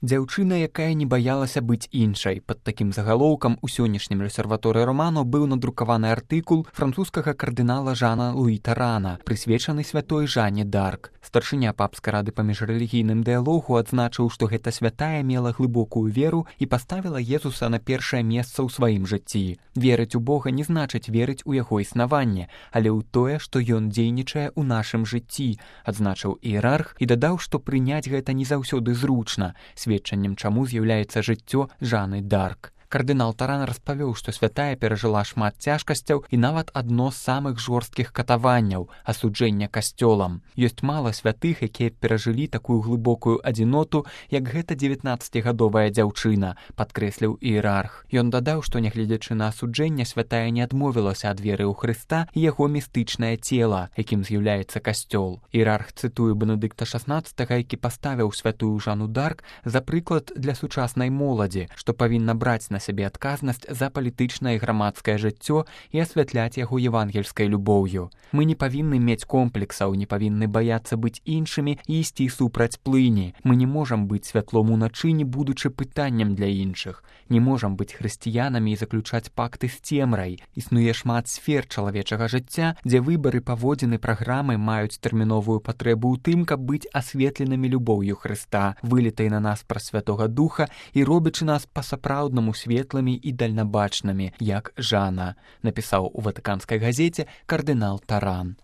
Дзяўчына, якая не баялася быць іншай. Пад такім загалоўкам у сённяшнім рэсерваторы Романо быў надрукаваны артыкул французскага кардынала Жана Луі Тарана, прысвечаны святой Жанне д'Арк. Старшыня папскай рады па міжрэлігійным дыялогу адзначыў, што гэта святая мела глыбокую веру і паставіла Езуса на першае месца ў сваім жыцці. Верыць у Бога не значыць верыць у яго існаванне, але ў тое, што ён дзейнічае ў нашым жыцці, адзначыў іерарх і дадаў, што прыняць гэта не заўсёды зручна, сведчаннем чаму з'яўляецца жыццё Жанны д'Арк. Кардынал Таран распавёў, што святая перажыла шмат цяжкасцяў і нават адно з самых жорсткіх катаванняў – асуджэння касцёлам. Ёсць мала святых, якія перажылі такую глыбокую адзіноту, як гэта 19-гадовая дзяўчына, падкрэсліў іерарх. Ён дадаў, што нягледзячы на асуджэнне, святая не адмовілася ад веры ў Хрыста і яго містычнае цела, якім з'яўляецца касцёл. Іерарх цытуе Бенедыкта XVI, які паставіў святую Жанну д'Арк за прыклад для сучаснай моладзі, што павінна браць на сябе адказнасць за палітычнае і грамадскае жыццё і асвятляць яго евангельскай любоўю. Мы не павінны мець комплексаў, не павінны баяцца быць іншымі і ісці супраць плыні. Мы не можам быць святлом уночы, не будучы пытаннем для іншых. Не можам быць хрысціянамі і заключаць пакты з цемрай. Існуе шмат сфер чалавечага жыцця, дзе выбары, паводзіны, праграмы маюць тэрміновую патрэбу ў тым, каб быць асветленымі любоўю Хрыста, вылітай на нас праз Святога Духа і робячы нас па-сапраўднаму светлымі і дальнабачнымі, як Жана, напісаў у ватыканскай газеце кардынал Таран.